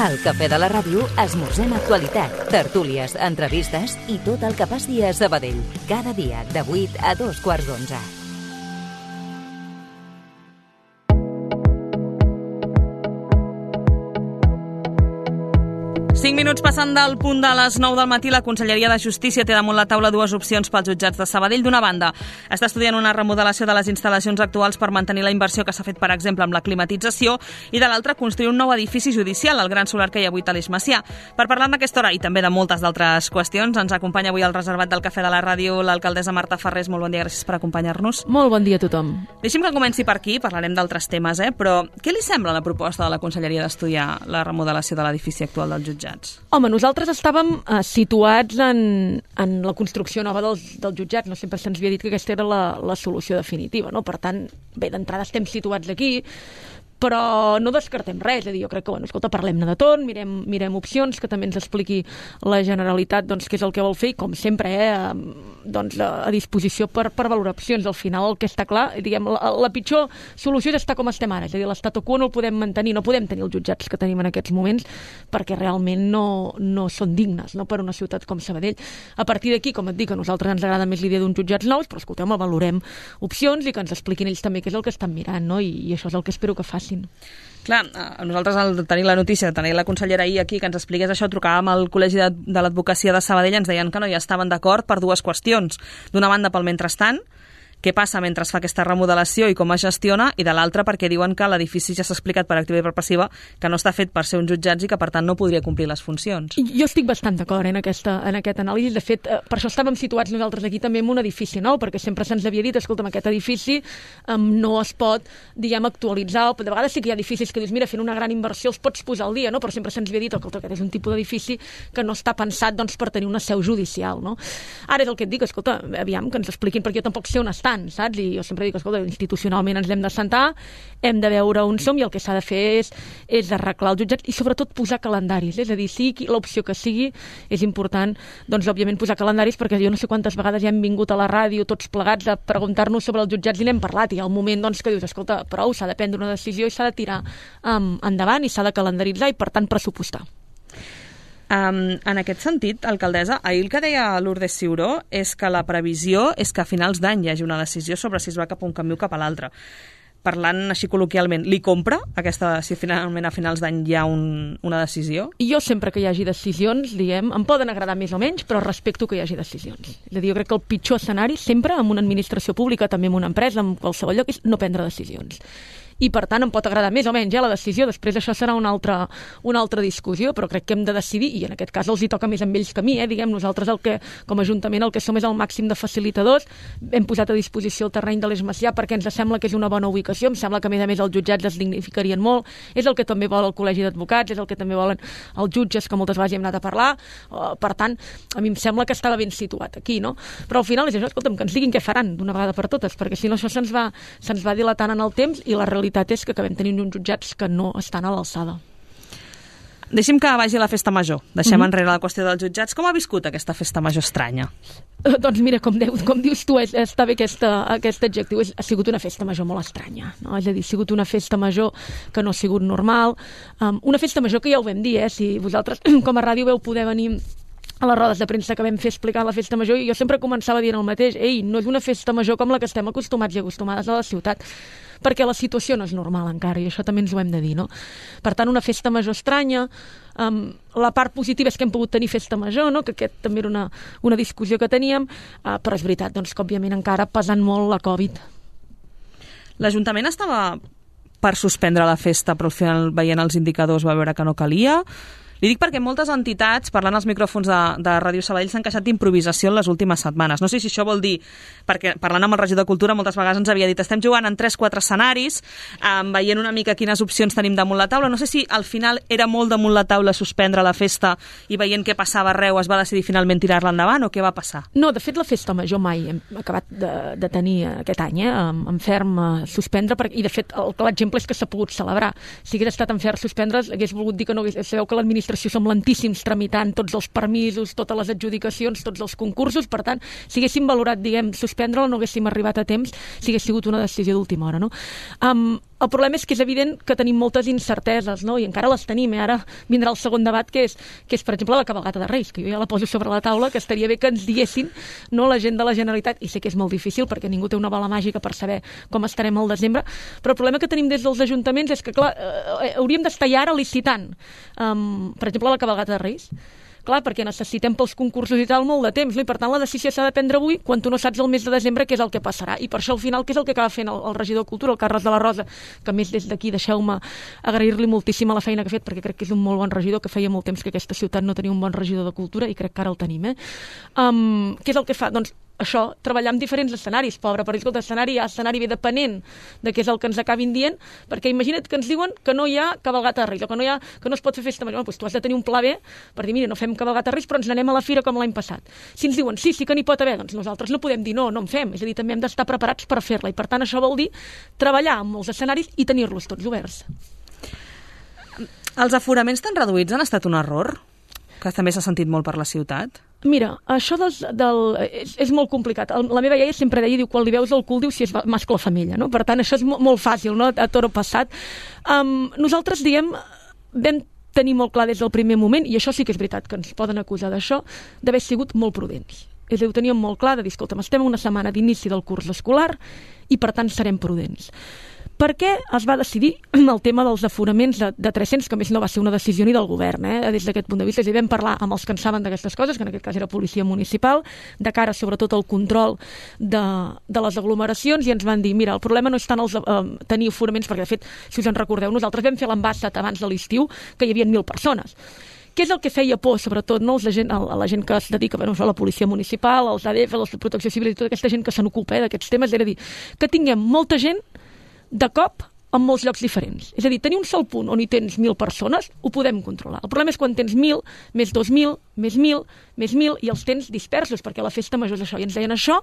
Al Cafè de la Ràdio esmorzem actualitat, tertúlies, entrevistes i tot el que passi a Sabadell. Cada dia de 8 a 2:15. 5 minuts passant del punt de les 9 del matí, la Conselleria de Justícia té damunt la taula dues opcions pels jutjats de Sabadell. D'una banda, està estudiant una remodelació de les instal·lacions actuals per mantenir la inversió que s'ha fet, per exemple, amb la climatització, i de l'altra, construir un nou edifici judicial, el gran solar que hi ha avui a l'Eix Macià. Per parlar d'aquesta hora i també de moltes d'altres qüestions, ens acompanya avui al reservat del Cafè de la Ràdio l'alcaldessa Marta Ferrés. Molt bon dia, gràcies per acompanyar-nos. Molt bon dia a tothom. Deixi'm que comenci per aquí, parlarem d'altres temes, però què li sembla la proposta de la Conselleria d'estudiar la remodelació de l'edifici actual dels jutjats? Home, nosaltres estàvem situats en la construcció nova dels jutjats. No sempre se'ns havia dit que aquesta era la solució definitiva, no? Per tant, bé, d'entrada estem situats aquí, però no descartem res. És a dir, jo crec que, escolta, parlem-ne de tot, mirem opcions, que també ens expliqui la Generalitat què és el que vol fer, i com sempre, a disposició per valorar opcions. Al final el que està clar, diguem, la pitjor solució és estar com estem ara, és a dir, l'statu quo no el podem mantenir, no podem tenir els jutjats que tenim en aquests moments, perquè realment no són dignes, no, per una ciutat com Sabadell. A partir d'aquí, com et dic, a nosaltres ens agrada més l'idea d'uns jutjats nous, però escolteu, valorem opcions i que ens expliquin ells també què és el que estan mirant, no? I això és el que espero que facin. Clar, nosaltres al tenir la notícia de tenir la consellera ahir aquí que ens expliqués això, trucàvem al Col·legi de l'Advocacia de Sabadell, ens deien que no hi estaven d'acord per dues qüestions. D'una banda, pel mentrestant, què passa mentre es fa aquesta remodelació i com es gestiona, i de l'altra perquè diuen que l'edifici ja s'ha explicat per activa i per passiva que no està fet per ser uns jutjats i que per tant no podria complir les funcions. Jo estic bastant d'acord en aquest anàlisi. De fet, per això estàvem situats nosaltres aquí també en un edifici nou, perquè sempre se'ns havia dit, escolta'm, aquest edifici no es pot, diguem, actualitzar, o de vegades sí que hi ha edificis que dius, mira, fent una gran inversió els pots posar al dia, no? Però sempre se'ns havia dit, escolta, aquest és un tipus d'edifici que no està pensat, per tenir una seu judicial, no? Ara és el que et dic, escolta, aviam, que ens expliquin, perquè jo tampoc sé on estan, saps? I jo sempre dic, escolta, institucionalment ens hem de sentar, hem de veure on som, i el que s'ha de fer és arreglar els jutjats i sobretot posar calendaris, és a dir, sigui l'opció que sigui, és important, òbviament posar calendaris, perquè jo no sé quantes vegades ja hem vingut a la ràdio tots plegats a preguntar-nos sobre els jutjats i n'hem parlat, i hi ha un moment que dius, escolta, prou, s'ha de prendre una decisió i s'ha de tirar endavant i s'ha de calendaritzar i, per tant, pressupostar. En aquest sentit, alcaldessa, ahir el que deia Lourdes Ciuró és que la previsió és que a finals d'any hi hagi una decisió sobre si es va cap a un camí o cap a l'altre. Parlant així col·loquialment, li compra si finalment a finals d'any hi ha una decisió? Jo sempre que hi hagi decisions, diguem, em poden agradar més o menys, però respecto que hi hagi decisions. És a dir, jo crec que el pitjor escenari sempre en una administració pública, també en una empresa, en qualsevol lloc, és no prendre decisions. I, per tant, em pot agradar més o menys la decisió. Després això serà una altra discussió, però crec que hem de decidir, i en aquest cas els hi toca més amb ells que a mi, diguem, nosaltres com a Ajuntament el que som és el màxim de facilitadors. Hem posat a disposició el terreny de l'Eix Macià perquè ens sembla que és una bona ubicació, em sembla que a més els jutjats es dignificarien molt, és el que també vol el Col·legi d'Advocats, és el que també volen els jutges, que moltes vegades hi hem anat a parlar, per tant, a mi em sembla que estava ben situat aquí, no? Però al final és això, escolta'm, que ens diguin què faran d'una vegada per totes, perquè si no això se'ns va dilatant en el temps i la realitat és que acabem tenint uns jutjats que no estan a l'alçada. Deixi'm que vagi a la festa major. Deixem enrere la qüestió dels jutjats. Com ha viscut aquesta festa major estranya? Doncs mira, com dius tu, està bé aquest adjectiu. Ha sigut una festa major molt estranya, no? És a dir, ha sigut una festa major que no ha sigut normal. Una festa major que ja ho vam dir, si vosaltres com a ràdio veu poder venir a les rodes de premsa que vam fer explicar la festa major, i jo sempre començava dient el mateix, no és una festa major com la que estem acostumats i acostumades a la ciutat, perquè la situació no és normal encara, i això també ens ho hem de dir, no? Per tant, una festa major estranya. La part positiva és que hem pogut tenir festa major, no? Que aquest també era una discussió que teníem, però és veritat, que òbviament encara pesant molt la Covid. L'Ajuntament estava per suspendre la festa, però al final, veient els indicadors, va veure que no calia. Li dic perquè moltes entitats, parlant als micròfons de Ràdio Sabadell, s'han queixat d'improvisació en les últimes setmanes. No sé si això vol dir, perquè parlant amb el regidor de Cultura moltes vegades ens havia dit estem jugant en 3-4 escenaris, veient una mica quines opcions tenim damunt la taula. No sé si al final era molt damunt la taula suspendre la festa i veient què passava arreu es va decidir finalment tirar-la endavant, o què va passar? No, de fet la festa major mai hem acabat de tenir aquest any, en ferm suspendre, i de fet l'exemple és que s'ha pogut celebrar. Si hagués estat en ferm suspendre, hagués volgut dir que no hagués... Sabeu que l'administració som lentíssims tramitant tots els permisos, totes les adjudicacions, tots els concursos, per tant, si haguéssim valorat, diguem, suspendre-la, no haguéssim arribat a temps, si hagués sigut una decisió d'última hora, no? El problema és que és evident que tenim moltes incerteses, no? I encara les tenim. Ara vindrà el segon debat, que és, per exemple, la cabalgata de Reis, que jo ja la poso sobre la taula, que estaria bé que ens diguessin, no, la gent de la Generalitat, i sé que és molt difícil perquè ningú té una bola màgica per saber com estarem al desembre, però el problema que tenim des dels ajuntaments és que, clar, hauríem d'estar ja ara licitant, per exemple, la cabalgata de Reis. Clar, perquè necessitem pels concursos i tal molt de temps, no? I per tant la decisió s'ha de prendre avui quan tu no saps el mes de desembre què és el que passarà, i per això al final què és el que acaba fent el regidor de Cultura, el Carles de la Rosa, que a més des d'aquí deixeu-me agrair-li moltíssim la feina que ha fet, perquè crec que és un molt bon regidor, que feia molt temps que aquesta ciutat no tenia un bon regidor de Cultura i crec que ara el tenim. Què és el que fa? Doncs això, treballar en diferents escenaris, pobre, per exemple, l'escenari hi ha escenari bé depenent de què és el que ens acabin dient, perquè imagina't que ens diuen que no hi ha cabalgata de Reis, o que no es pot fer festa major. Doncs tu has de tenir un pla B per dir, mira, no fem cabalgata de Reis, però ens n'anem a la fira com l'any passat. Si ens diuen, sí que n'hi pot haver, doncs nosaltres no podem dir no en fem, és a dir, també hem d'estar preparats per fer-la, i per tant això vol dir treballar en molts escenaris i tenir-los tots oberts. Els aforaments tan reduïts han estat un error? Que també s'ha sentit molt per la ciutat? Mira, això és molt complicat. La meva iaia sempre deia, diu, quan li veus el cul, diu si és mascle o femella, no? Per tant, això és molt fàcil, no? A toro passat. Nosaltres, vam tenir molt clar des del primer moment, i això sí que és veritat, que ens poden acusar d'això, d'haver sigut molt prudents. És a dir, ho teníem molt clar de dir, escolta'm, estem una setmana d'inici del curs escolar i, per tant, serem prudents. Per què es va decidir el tema dels aforaments de 300, que a més no va ser una decisió ni del govern, des d'aquest punt de vista? És a dir, vam parlar amb els que en saben d'aquestes coses, que en aquest cas era policia municipal, de cara sobretot al control de les aglomeracions, i ens van dir, mira, el problema no és tant tenir aforaments, perquè de fet, si us en recordeu, nosaltres vam fer l'embassat abans de l'estiu, que hi havia 1.000 persones. Què és el que feia por, sobretot, no? A la gent que es dedica a la policia municipal, als ADF, a la protecció civil i tota aquesta gent que se n'ocupa d'aquests temes, era dir, que tinguem molta gent de cop en molts llocs diferents. És a dir, tenir un sol punt on hi tens 1.000 persones, ho podem controlar. El problema és quan tens 1.000, més 2.000, més 1.000, més 1.000, i els tens dispersos, perquè la festa major és això. I ens deien això,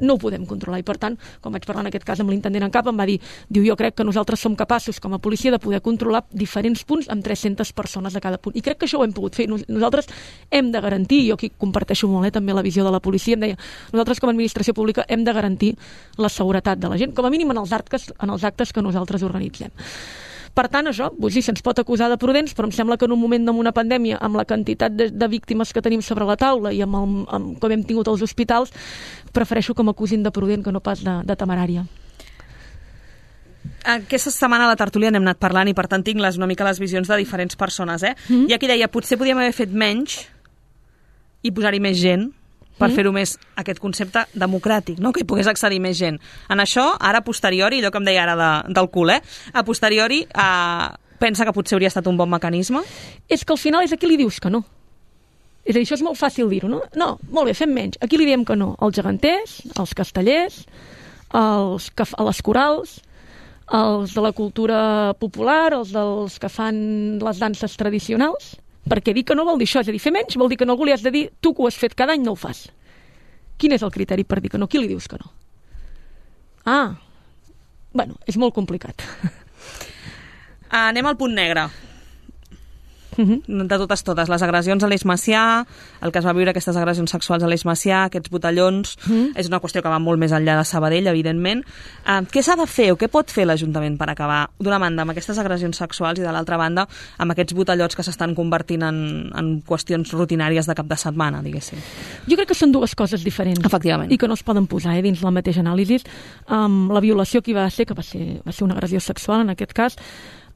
no ho podem controlar. I per tant, quan vaig parlar en aquest cas amb l'intendent en cap, em va dir, jo crec que nosaltres som capaços com a policia de poder controlar diferents punts amb 300 persones a cada punt. I crec que això ho hem pogut fer. Nosaltres hem de garantir, jo aquí comparteixo molt també la visió de la policia, em deia, nosaltres com a administració pública hem de garantir la seguretat de la gent, com a mínim en els actes que nosaltres organitzem. Per tant, això, sí, se'ns pot acusar de prudents, però em sembla que en un moment d'una pandèmia, amb la quantitat de víctimes que tenim sobre la taula i amb com hem tingut els hospitals, prefereixo que m'acusin de prudent que no pas de temerària. Aquesta setmana a la tertúlia n'hem anat parlant i per tant tinc una mica les visions de diferents persones. Hi ha qui deia, potser podíem haver fet menys i posar-hi més gent per fer-ho més, aquest concepte democràtic, no? Que hi pogués accedir més gent. En això, ara a posteriori, allò que em deia ara del cul, a posteriori pensa que potser hauria estat un bon mecanisme? És que al final és a qui li dius que no. És a dir, això és molt fàcil dir-ho, no? No, molt bé, fem menys. A qui li diem que no? Als geganters, als castellers, a les corals, els de la cultura popular, els dels que fan les danses tradicionals. Perquè dir que no vol dir això, és a dir, fer menys vol dir que no algú li has de dir, tu que ho has fet cada any no ho fas. Quin és el criteri per dir que no? Qui li dius que no? Bueno, és molt complicat. Anem al punt negre. De totes, les agressions a l'Eix Macià, el que es va viure, aquestes agressions sexuals a l'Eix Macià, aquests botellons, és una qüestió que va molt més enllà de Sabadell, evidentment. Què s'ha de fer o què pot fer l'Ajuntament per acabar, d'una banda, amb aquestes agressions sexuals i de l'altra banda, amb aquests botellots que s'estan convertint en qüestions rutinàries de cap de setmana, diguéssim? Jo crec que són dues coses diferents. Efectivament. I que no es poden posar dins la mateixa anàlisi. La violació que va ser, que va ser una agressió sexual, en aquest cas,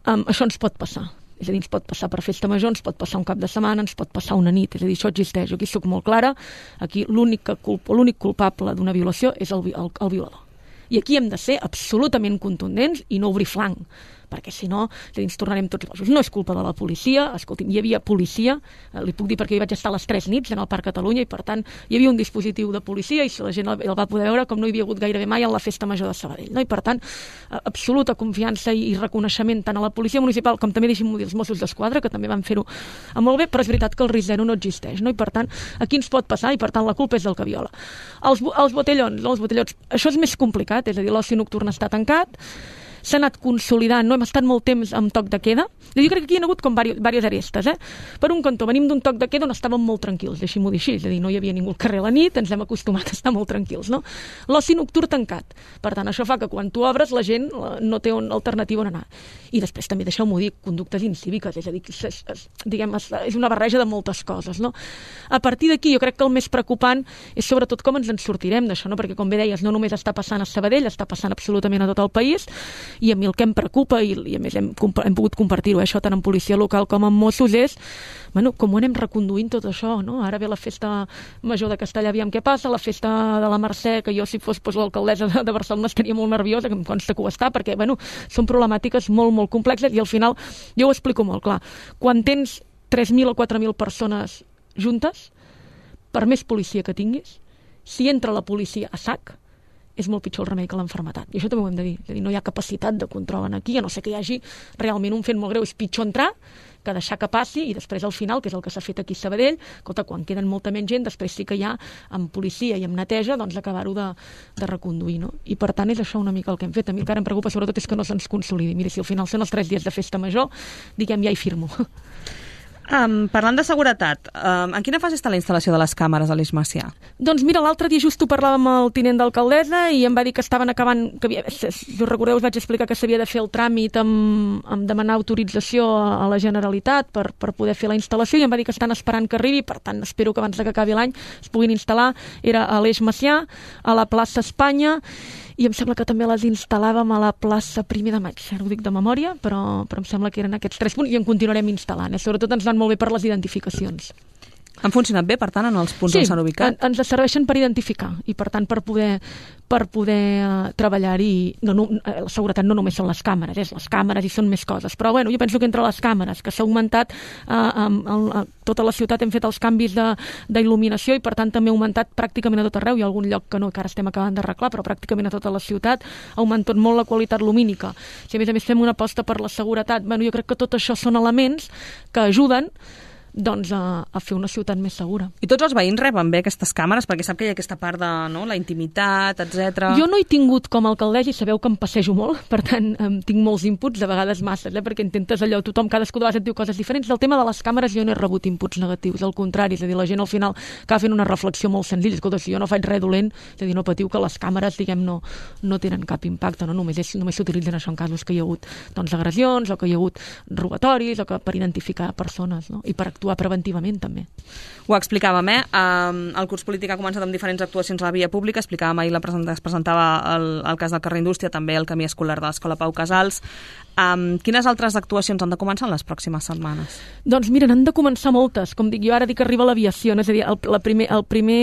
això ens pot passar. És a dir, ens pot passar per festa major, ens pot passar un cap de setmana, ens pot passar una nit. És a dir, això existeix. Jo aquí soc molt clara. Aquí l'únic culpable d'una violació és el violador. I aquí hem de ser absolutament contundents i no obrir flanc, perquè si no ens tornarem tots bojos. No és culpa de la policia, escolti'm, hi havia policia, li puc dir perquè hi vaig estar les 3 nits en el Parc Catalunya i per tant hi havia un dispositiu de policia i si la gent el va poder veure com no hi havia hagut gairebé mai en la festa major de Sabadell, no? I per tant absoluta confiança i reconeixement tant a la policia municipal com també deixin-m'ho dir els Mossos d'Esquadra, que també van fer-ho molt bé, però és veritat que el risc zero no existeix, no? I per tant aquí ens pot passar i per tant la culpa és del que viola. Els botellons, això és més complicat, és a dir, l'oci nocturn està tancat. s'ha anat consolidant, no hem estat molt temps amb toc de queda. Jo crec que aquí hi ha hagut com diverses arestes. Per un cantó, venim d'un toc de queda on estàvem molt tranquils, deixi-m'ho dir així, és a dir, no hi havia ningú al carrer a la nit, ens hem acostumat a estar molt tranquils, no? L'oci nocturn tancat. Per tant, això fa que quan tu obres la gent no té una alternativa on anar. I després també, deixeu-m'ho dir, conductes incíviques, és a dir, és una barreja de moltes coses, no? A partir d'aquí, jo crec que el més preocupant és sobretot com ens en sortirem d'això, no? Perquè, com bé deies, no només està passant a Sabadell, està passant absolutament a tot el país, i a mi el que em preocupa, i a més hem pogut compartir-ho, això tant en policia local com en Mossos, és com ho anem reconduint tot això, no? Ara ve la festa major de Castellà, aviam què passa, la festa de la Mercè, que jo si fos l'alcaldessa de Barcelona estaria molt nerviosa, que em consta que ho està, perquè són problemàtiques molt, molt complexes, i al final jo ho explico molt clar. Quan tens 3.000 o 4.000 persones juntes, per més policia que tinguis, si entra la policia a sac, és molt pitjor el remei que l'enfermetat. I això també ho hem de dir. És a dir, no hi ha capacitat de control aquí, a no ser que hi hagi realment un fet molt greu. És pitjor entrar que deixar que passi i després al final, que és el que s'ha fet aquí a Sabadell, escolta, quan queden molta menys gent, després sí que hi ha, amb policia i amb neteja, doncs acabar-ho de reconduir, no? I per tant és això una mica el que hem fet. A mi el que ara em preocupa sobretot és que no se'ns consolidi. Mira, si al final són els 3 dies de festa major, diguem, ja hi firmo. Parlant de seguretat, en quina fase està la instal·lació de les càmeres a l'Eix Macià? Doncs mira, l'altre dia just ho parlàvem amb el tinent d'alcaldessa i em va dir que estaven acabant, si us recordeu us vaig explicar que s'havia de fer el tràmit amb demanar autorització a la Generalitat per poder fer la instal·lació, i em va dir que estan esperant que arribi, per tant espero que abans que acabi l'any es puguin instal·lar. Era a l'Eix Macià, a la plaça Espanya, i em sembla que també les instal·làvem a la plaça 1 de Maig, ara ho dic de memòria, però em sembla que eren aquests 3 punts i en continuarem instal·lant. Sobretot ens van molt bé per les identificacions. Han funcionat bé, per tant, en els punts on s'han ubicat? Sí, ens serveixen per identificar i, per tant, per poder treballar-hi. La seguretat no només són les càmeres, les càmeres i són més coses. Però, jo penso que entre les càmeres, que s'ha augmentat tota la ciutat, hem fet els canvis d'il·luminació i, per tant, també ha augmentat pràcticament a tot arreu. Hi ha algun lloc que no, que ara estem acabant d'arreglar, però pràcticament a tota la ciutat ha augmentat molt la qualitat lumínica. Si a més fem una aposta per la seguretat, jo crec que tot això són elements que ajuden a fer una ciutat més segura. I tots els veïns reben bé aquestes càmeres? Perquè sap que hi ha aquesta part de la intimitat, etc. Jo no he tingut com a alcaldessa, i sabeu que em passejo molt, per tant tinc molts inputs, de vegades masses, perquè intentes allò, cadascú de vegades et diu coses diferents. Del tema de les càmeres jo no he rebut inputs negatius, al contrari, és a dir, la gent al final acaba fent una reflexió molt senzilla. Escolta, si jo no faig res dolent, és a dir, no patiu que les càmeres, diguem, no tenen cap impacte, no? Només s'utilitzen això en casos que hi ha hagut agressions, o que hi ha hagut robatoris, o que per identificar persones, no? I per actuar preventivament també. Ho explicàvem, el curs polític ha començat amb diferents actuacions a la via pública, explicàvem ahir, es presentava el cas del carrer Indústria, també el camí escolar de l'Escola Pau Casals. Quines altres actuacions han de començar en les pròximes setmanes? Doncs mira, n'han de començar moltes. Com dic, jo ara dic que arriba l'aviació, és a dir, el primer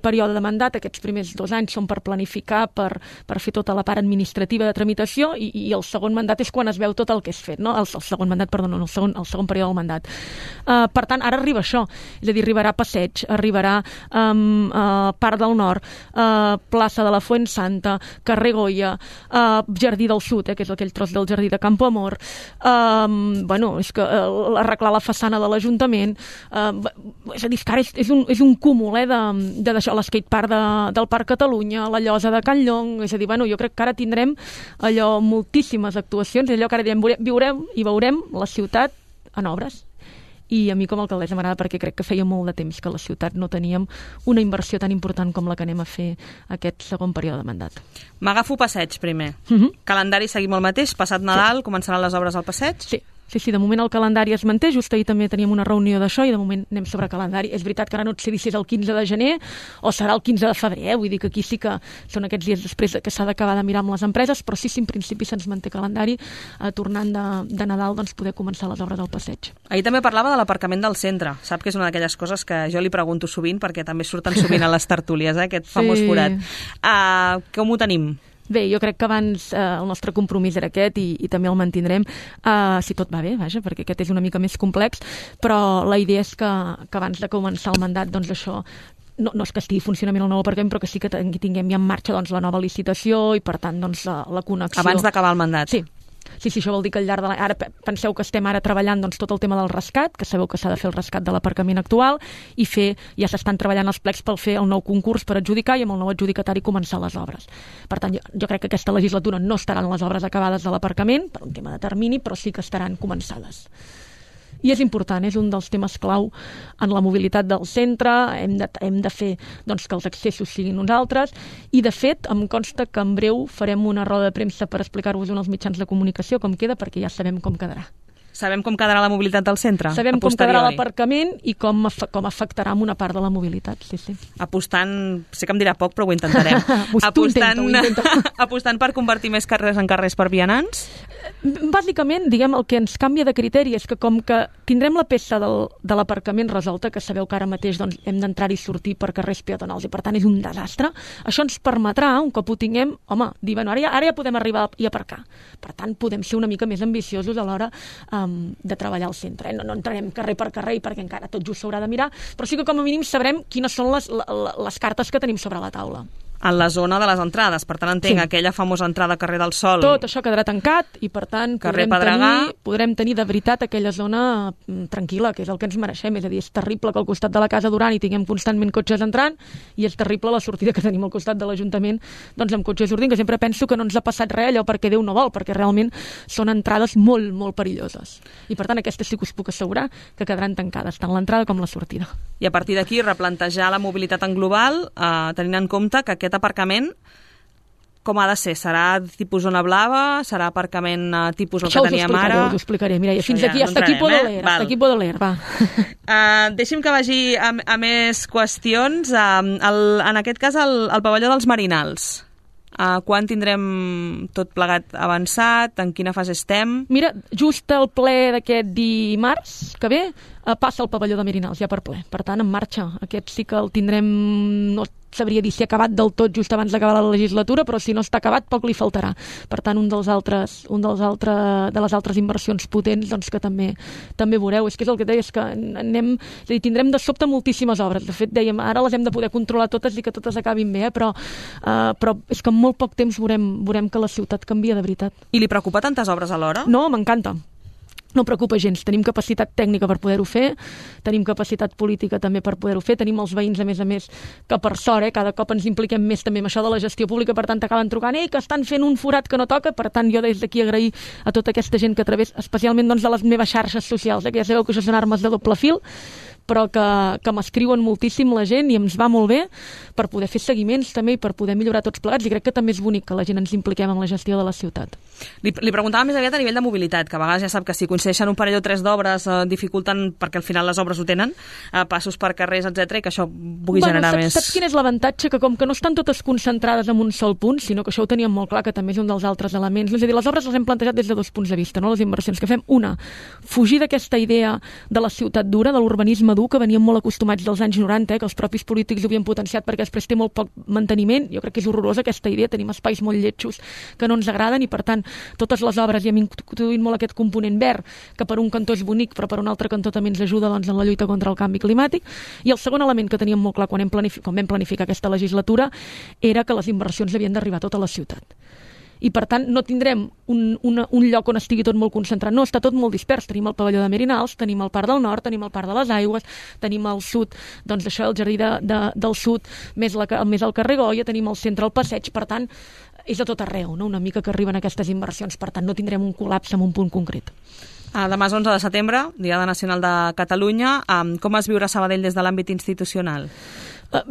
període de mandat, aquests primers 2 anys són per planificar, per fer tota la part administrativa de tramitació, i el segon mandat és quan es veu tot el que és fet, no? El segon període del mandat. Per tant, ara arriba això, és a dir, arribarà Passeig, arribarà Parc del Nord, plaça de la Fuensanta, carrer Goya, Jardí del Sud, que és aquell tros del jardí de Campo Amor, és que arreglar la façana de l'Ajuntament, és a dir, que ara és un cúmul de deixar l'escatepark del Parc Catalunya, la llosa de Can Llong, és a dir, jo crec que ara tindrem allò moltíssimes actuacions, allò que ara direm, viurem i veurem la ciutat en obres. I a mi com a alcaldessa m'agrada perquè crec que feia molt de temps que a la ciutat no teníem una inversió tan important com la que anem a fer aquest segon període de mandat. M'agafo Passeig primer. Calendari seguim el mateix, passat Nadal començaran les obres al Passeig? Sí, de moment el calendari es manté, just ahir també teníem una reunió d'això i de moment anem sobre calendari. És veritat que ara no et sé dir si és el 15 de gener o serà el 15 de febrer, vull dir que aquí sí que són aquests dies després que s'ha d'acabar de mirar amb les empreses, però sí, en principi se'ns manté calendari, tornant de Nadal poder començar les obres del Passeig. Ahir també parlava de l'aparcament del centre. Sap que és una d'aquelles coses que jo li pregunto sovint perquè també surten sovint a les tertúlies, aquest famós forat. Com ho tenim? Bé, jo crec que abans el nostre compromís era aquest i també el mantindrem, si tot va bé, vaja, perquè aquest és una mica més complex, però la idea és que abans de començar el mandat, doncs això no és que estigui funcionament el nou aparcament, però que sí que tinguem ja en marxa la nova licitació i, per tant, la connexió. Abans d'acabar el mandat. Sí. Sí, això vol dir que al llarg de l'any... Ara penseu que estem ara treballant doncs, tot el tema del rescat, que sabeu que s'ha de fer el rescat de l'aparcament actual, i ja s'estan treballant els plecs per fer el nou concurs per adjudicar i amb el nou adjudicatari començar les obres. Per tant, jo crec que aquesta legislatura no estaran les obres acabades de l'aparcament, per un tema de termini, però sí que estaran començades. I és important, és un dels temes clau en la mobilitat del centre, hem de fer doncs, que els accessos siguin uns altres, i de fet em consta que en breu farem una roda de premsa per explicar-vos en els mitjans de comunicació com queda, perquè ja sabem com quedarà. Sabem com quedarà la mobilitat del centre? Sabem com quedarà l'aparcament i com afectarà amb una part de la mobilitat, sí. Apostant, sé que em dirà poc, però ho intentarem. Apostant per convertir més carrers en carrers per vianants? Bàsicament, diguem, el que ens canvia de criteri és que com que tindrem la peça de l'aparcament resolta, que sabeu que ara mateix doncs, hem d'entrar i sortir per carrers peatonals i per tant és un desastre, això ens permetrà, un cop ho tinguem, dir, bueno, ara ja podem arribar i aparcar. Per tant, podem ser una mica més ambiciosos a l'hora de treballar al centre. No entrarem carrer per carrer perquè encara tot just s'haurà de mirar, però sí que com a mínim sabrem quines són les cartes que tenim sobre la taula. En la zona de les entrades, per tant entenc aquella famosa entrada carrer del Sol. Tot això quedarà tancat i per tant podrem tenir de veritat aquella zona tranquil·la, que és el que ens mereixem. És a dir, és terrible que al costat de la Casa Duran hi tinguem constantment cotxes entrant i és terrible la sortida que tenim al costat de l'Ajuntament doncs amb cotxes sortint, que sempre penso que no ens ha passat res allò perquè Déu no vol, perquè realment són entrades molt, molt perilloses. I per tant aquestes sí que us puc assegurar que quedaran tancades, tant l'entrada com la sortida. I a partir d'aquí replantejar la mobilitat en global, tenint en compte que aquest aparcament com ha de ser? Serà tipus zona blava? Serà aparcament tipus el que teníem ara? Això us ho explicaré. Mira, fins aquí, hasta aquí puedo leer, va. Deixi'm que vagi a més qüestions. En aquest cas, el pavelló dels Marinals. Quan tindrem tot plegat avançat? En quina fase estem? Mira, just el ple d'aquest dimarts que ve passa el pavelló de Merinals ja per ple. Per tant, en marxa. Aquest sí que el tindrem, no sabria dir si ha acabat del tot just abans d'acabar la legislatura, però si no està acabat poc li faltarà. Per tant, de les altres inversions potents doncs, que també veureu. És que és el que deies, que tindrem de sobte moltíssimes obres. De fet, dèiem, ara les hem de poder controlar totes i que totes acabin bé, però és que en molt poc temps veurem que la ciutat canvia de veritat. I li preocupa tantes obres alhora? No, m'encanta. No preocupa gens, tenim capacitat tècnica per poder-ho fer, tenim capacitat política també per poder-ho fer, tenim els veïns, a més, que per sort, cada cop ens impliquem més també amb això de la gestió pública, per tant acaben trucant, que estan fent un forat que no toca, per tant jo des d'aquí agrair a tota aquesta gent que a través, especialment doncs, de les meves xarxes socials, que ja sabeu que això són armes de doble fil, però que m'escriuen moltíssim la gent i ens va molt bé per poder fer seguiments també i per poder millorar tots plegats, i crec que també és bonic que la gent ens impliquem en la gestió de la ciutat. Li preguntava més aviat a nivell de mobilitat, que a vegades ja sap que si coincideixen un parell o tres d'obres dificulten, perquè al final les obres ho tenen, passos per carrers, etc, i que això pugui generar més... Saps quin és l'avantatge? Que com que no estan totes concentrades en un sol punt, sinó que això ho teníem molt clar, que també és un dels altres elements. És a dir, les obres les hem plantejat des de dos punts de vista, no? Les inversions que fem. Una, fugir d'aquesta idea de la ciutat dura, de l'urbanisme dur, que veníem molt acostumats dels anys 90, que els propis polítics ho havien potenciat perquè després té molt poc manteniment. Jo crec que és horrorosa aquesta idea, tenim espais molt lletjos que no ens agraden i per tant totes les obres hi hem introduït molt aquest component verd, que per un cantó és bonic però per un altre cantó també ens ajuda doncs, en la lluita contra el canvi climàtic. I el segon element que teníem molt clar quan vam planificar aquesta legislatura era que les inversions havien d'arribar a tota la ciutat. I per tant no tindrem un lloc on estigui tot molt concentrat, no, està tot molt dispers. Tenim el pavelló de Merinals, tenim el Parc del Nord, tenim el Parc de les Aigües, tenim al sud, doncs això, el jardí del sud, més el carrer Goya, tenim al centre el passeig, per tant és a tot arreu, no? Una mica que arriben aquestes inversions, per tant no tindrem un col·lapse en un punt concret. Demà és 11 de setembre, Diada Nacional de Catalunya. Com es viurà Sabadell des de l'àmbit institucional?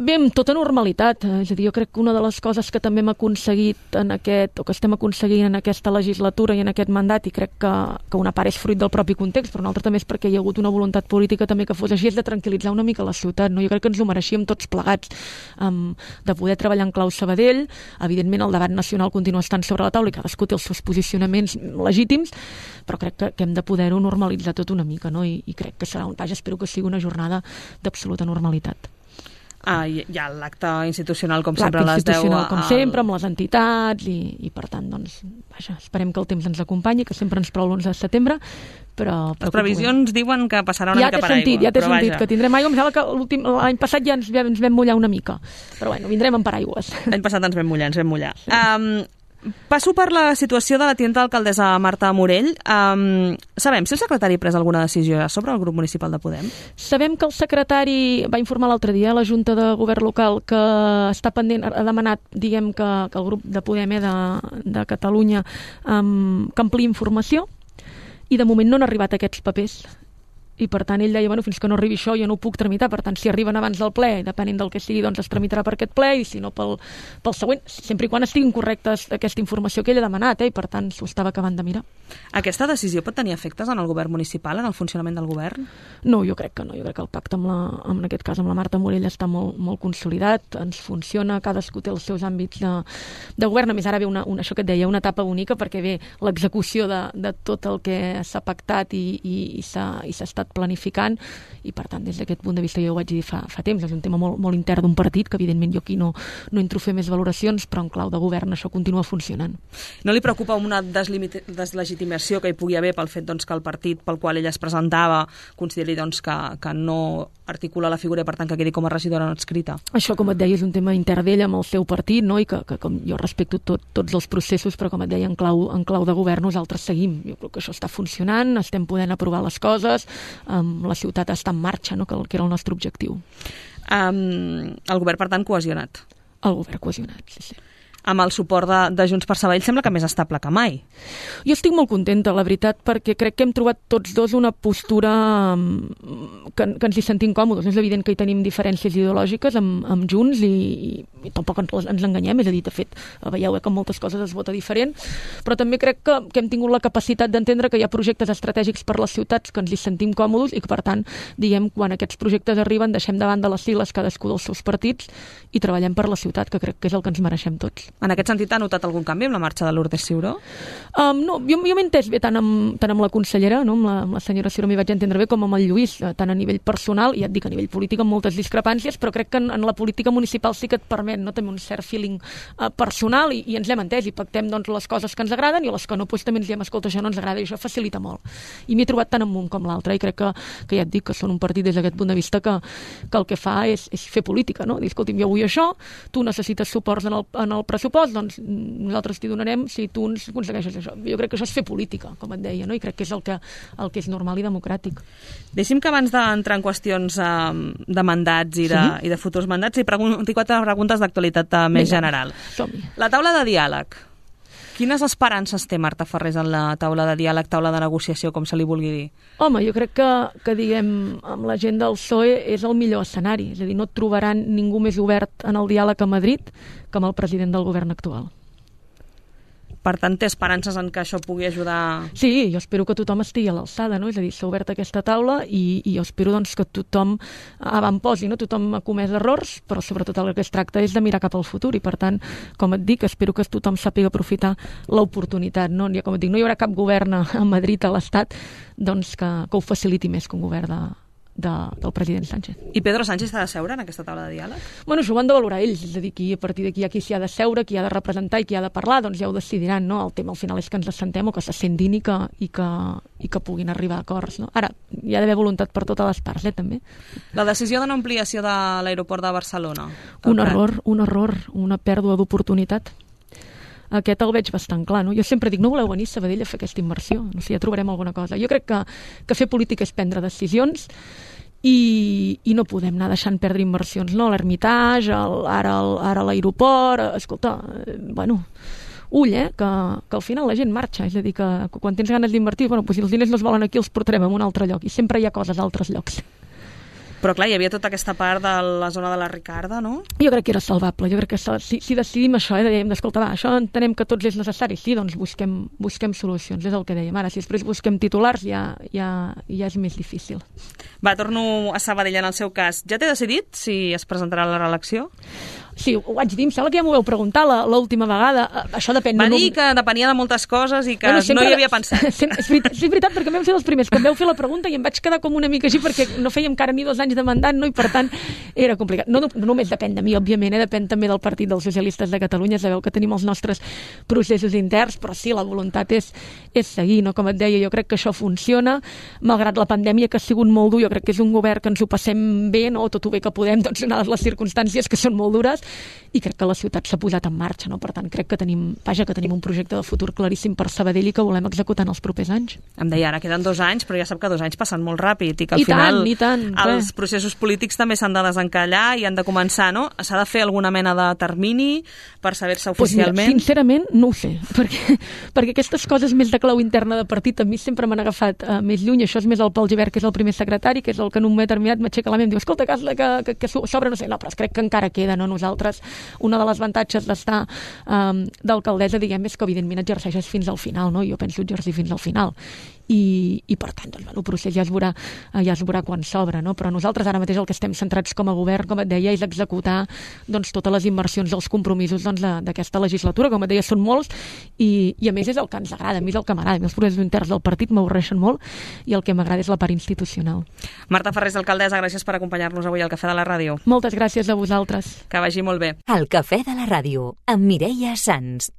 Bé, amb tota normalitat. És a dir, jo crec que una de les coses que també hem aconseguit o que estem aconseguint en aquesta legislatura i en aquest mandat, i crec que una part és fruit del propi context, però una altra també és perquè hi ha hagut una voluntat política també que fos així, és de tranquil·litzar una mica la ciutat. No? Jo crec que ens ho mereixíem tots plegats, de poder treballar en clau Sabadell. Evidentment el debat nacional continua estant sobre la taula i cadascú té els seus posicionaments legítims, però crec que hem de poder-ho normalitzar tot una mica, no? I crec que serà espero que sigui una jornada d'absoluta normalitat. Hi ha l'acte institucional, com sempre, a les 10. L'acte institucional, com sempre, amb les entitats, i per tant, doncs, esperem que el temps ens acompanyi, que sempre ens plou l'11 de setembre, però les previsions diuen que passarà una mica per aigua. Ja t'he sentit que tindrem aigua. Em sembla que l'any passat ja ens vam mullar una mica, però bueno, vindrem amb paraigües. L'any passat ens vam mullar. Passo per la situació de la tinenta alcaldessa Marta Morell. Sabem si el secretari ha pres alguna decisió sobre el grup municipal de Podem? Sabem que el secretari va informar l'altre dia a la Junta de Govern Local que està pendent, ha demanat, diguem, que el grup de Podem de Catalunya que ampliï informació, i de moment no han arribat aquests papers. I per tant ell deia, bueno, fins que no arribi això jo no ho puc tramitar, per tant si arriben abans del ple, depenent del que sigui, doncs es tramitarà per aquest ple, i si no pel següent, sempre i quan estiguin correctes aquesta informació que ell ha demanat, i per tant s'ho estava acabant de mirar. Aquesta decisió pot tenir efectes en el govern municipal, en el funcionament del govern? No, jo crec que no, jo crec que el pacte en aquest cas amb la Marta Morell està molt, molt consolidat, ens funciona, cadascú té els seus àmbits de govern, a més ara ve això que et deia, una etapa única, perquè ve l'execució de tot el que s'ha pactat i s'ha estat planificant, i per tant des d'aquest punt de vista jo ho vaig dir fa temps, és un tema molt, molt intern d'un partit, que evidentment jo aquí no entro a fer més valoracions, però en clau de govern això continua funcionant. No li preocupa una deslegitimació que hi pugui haver pel fet que el partit pel qual ella es presentava consideri que no articula la figura i per tant que quedi com a regidora no adscrita? Això, com et deia, és un tema intern d'ella amb el seu partit, no? I que com jo respecto tots els processos, però com et deia, en clau de govern nosaltres seguim. Jo crec que això està funcionant, estem podent aprovar les coses, la ciutat està en marxa, no? que era el nostre objectiu. El govern, per tant, cohesionat? El govern cohesionat, sí. Amb el suport de Junts per Sabadell sembla que més estable que mai. Jo estic molt contenta, la veritat, perquè crec que hem trobat tots dos una postura que ens hi sentim còmodes. És evident que hi tenim diferències ideològiques amb Junts i tampoc ens enganyem, és a dir, de fet, veieu que moltes coses es vota diferent, però també crec que hem tingut la capacitat d'entendre que hi ha projectes estratègics per les ciutats que ens hi sentim còmodes i que, per tant, diguem, quan aquests projectes arriben, deixem davant de les sigles cadascú dels seus partits i treballem per la ciutat, que crec que és el que ens mereixem tots. En aquest sentit, ha notat algun canvi amb la marxa de Lourdes Ciuró? No, jo m'he entès bé tant amb la consellera, no? amb la senyora Ciuró m'hi vaig entendre bé, com amb el Lluís, tant a nivell personal, i ja et dic, a nivell polític amb moltes discrepàncies, però crec que en la política municipal sí que et permet també un cert feeling personal i ens l'hem entès i pactem les coses que ens agraden i les que no, també ens diem, escolta, això no ens agrada i això facilita molt. I m'hi he trobat tant amb un com l'altre i crec que ja et dic que són un partit des d'aquest punt de vista que el que fa és fer política, no? Dir, escolti'm, jo vull això, tu necessites suports en el pressupost, doncs nosaltres t'hi donarem si tu ens aconsegueixes això. Jo crec que això és fer política, com et deia, no? I crec que és el que és normal i democràtic. Deixi'm que abans d'entrar en qüestions de mandats i de futurs mandats li pregunti 4 preguntes d'actualitat més general. Som-hi. La taula de diàleg. Quines esperances té Marta Farrés en la taula de diàleg, taula de negociació, com se li vulgui dir? Home, jo crec que diguem, amb la gent del PSOE és el millor escenari. És a dir, no trobaran ningú més obert en el diàleg a Madrid que amb el president del govern actual. Per tant, té esperances en que això pugui ajudar... Sí, jo espero que tothom estigui a l'alçada, no? És a dir, s'ha obert aquesta taula i jo espero que tothom avantposi, no? Tothom ha comès errors, però sobretot el que es tracta és de mirar cap al futur i, per tant, com et dic, espero que tothom sàpiga aprofitar l'oportunitat, no? Ja, com et dic, no hi haurà cap govern a Madrid, a l'Estat, doncs que ho faciliti més que un govern del president Sánchez. I Pedro Sánchez s'ha de seure en aquesta taula de diàleg? Bueno, això ho han de valorar ells, és a dir, a partir d'aquí hi ha qui s'hi ha de seure, qui ha de representar i qui ha de parlar, doncs ja ho decidiran, no? El tema al final és que ens assentem o que s'assentin i que puguin arribar a acords, no? Ara, hi ha d'haver voluntat per totes les parts, també. La decisió de no ampliació de l'aeroport de Barcelona? Un error, una pèrdua d'oportunitat. Aquest el veig bastant clar, no? Jo sempre dic, no voleu venir a Sabadell a fer aquesta inversió? No sé, ja trobarem alguna cosa. Jo crec que fer política és prendre decisions i no podem anar deixant perdre inversions, no? L'Hermitage, ara l'aeroport, escolta, bueno... Ull, que al final la gent marxa, és a dir, que quan tens ganes d'invertir, bueno, doncs si els diners no es volen aquí els portarem a un altre lloc i sempre hi ha coses a altres llocs. Però clar, hi havia tota aquesta part de la zona de la Ricarda, no? Jo crec que era salvable, jo crec que si decidim això, dèiem d'escoltar, això entenem que tots és necessari, sí, doncs busquem solucions, és el que dèiem. Ara, si després busquem titulars ja és més difícil. Va, torno a Sabadell en el seu cas. Ja té decidit si es presentarà a la reelecció? Sí, ho vaig dir, em sembla que ja m'ho vau preguntar l'última vegada. Això depèn... Va dir que depenia de moltes coses i que no hi havia pensat. És veritat, perquè vam ser els primers que em vau fer la pregunta i em vaig quedar com una mica així perquè no fèiem encara ni 2 anys de mandat, no? I per tant era complicat. No només depèn de mi, òbviament, depèn també del Partit dels Socialistes de Catalunya. Sabeu que tenim els nostres processos interns, però sí, la voluntat és seguir, no? Com et deia, jo crec que això funciona, malgrat la pandèmia que ha sigut molt dur, jo crec que és un govern que ens ho passem bé, no? Tot ho bé que podem, doncs, donades les circumstàncies que són molt dures, i crec que la ciutat s'ha posat en marxa, no? Per tant, crec que tenim un projecte de futur claríssim per Sabadell i que volem executar en els propers anys. Em deia, ara queden 2 anys, però ja sap que 2 anys passen molt ràpid i que al final els processos polítics també s'han de desencallar i han de començar, no? S'ha de fer alguna mena de termini per saber-se oficialment? Mira, sincerament, no ho sé, perquè aquestes coses més de clau interna de partit a mi sempre m'han agafat més lluny. Això és més el Pol Gibert, que és el primer secretari, que és el que en un moment determinat m'aixeca la ment i em diu, escolta, que s'obre, no sé, no, però crec que encara queda, no? Nosaltres, una de les avantatges d'estar d'alcaldessa, diguem, és que evidentment exerceixes fins al final, no? Jo penso exercir fins al final. I per tant, doncs, el procés ja es veurà quan s'obre, no? Però nosaltres ara mateix el que estem centrats com a govern, com et deia, és executar doncs, totes les inversions dels compromisos doncs, d'aquesta legislatura. Com et deia, són molts i a més és el que ens agrada, a mi és el que m'agrada. A mi els processos interns del partit m'avorreixen molt i el que m'agrada és la part institucional. Marta Ferrés, alcaldessa, gràcies per acompanyar-nos avui al Cafè de la Ràdio. Moltes gràcies a vosaltres. Que vagi molt bé. El Cafè de la Ràdio, amb Mireia Sans.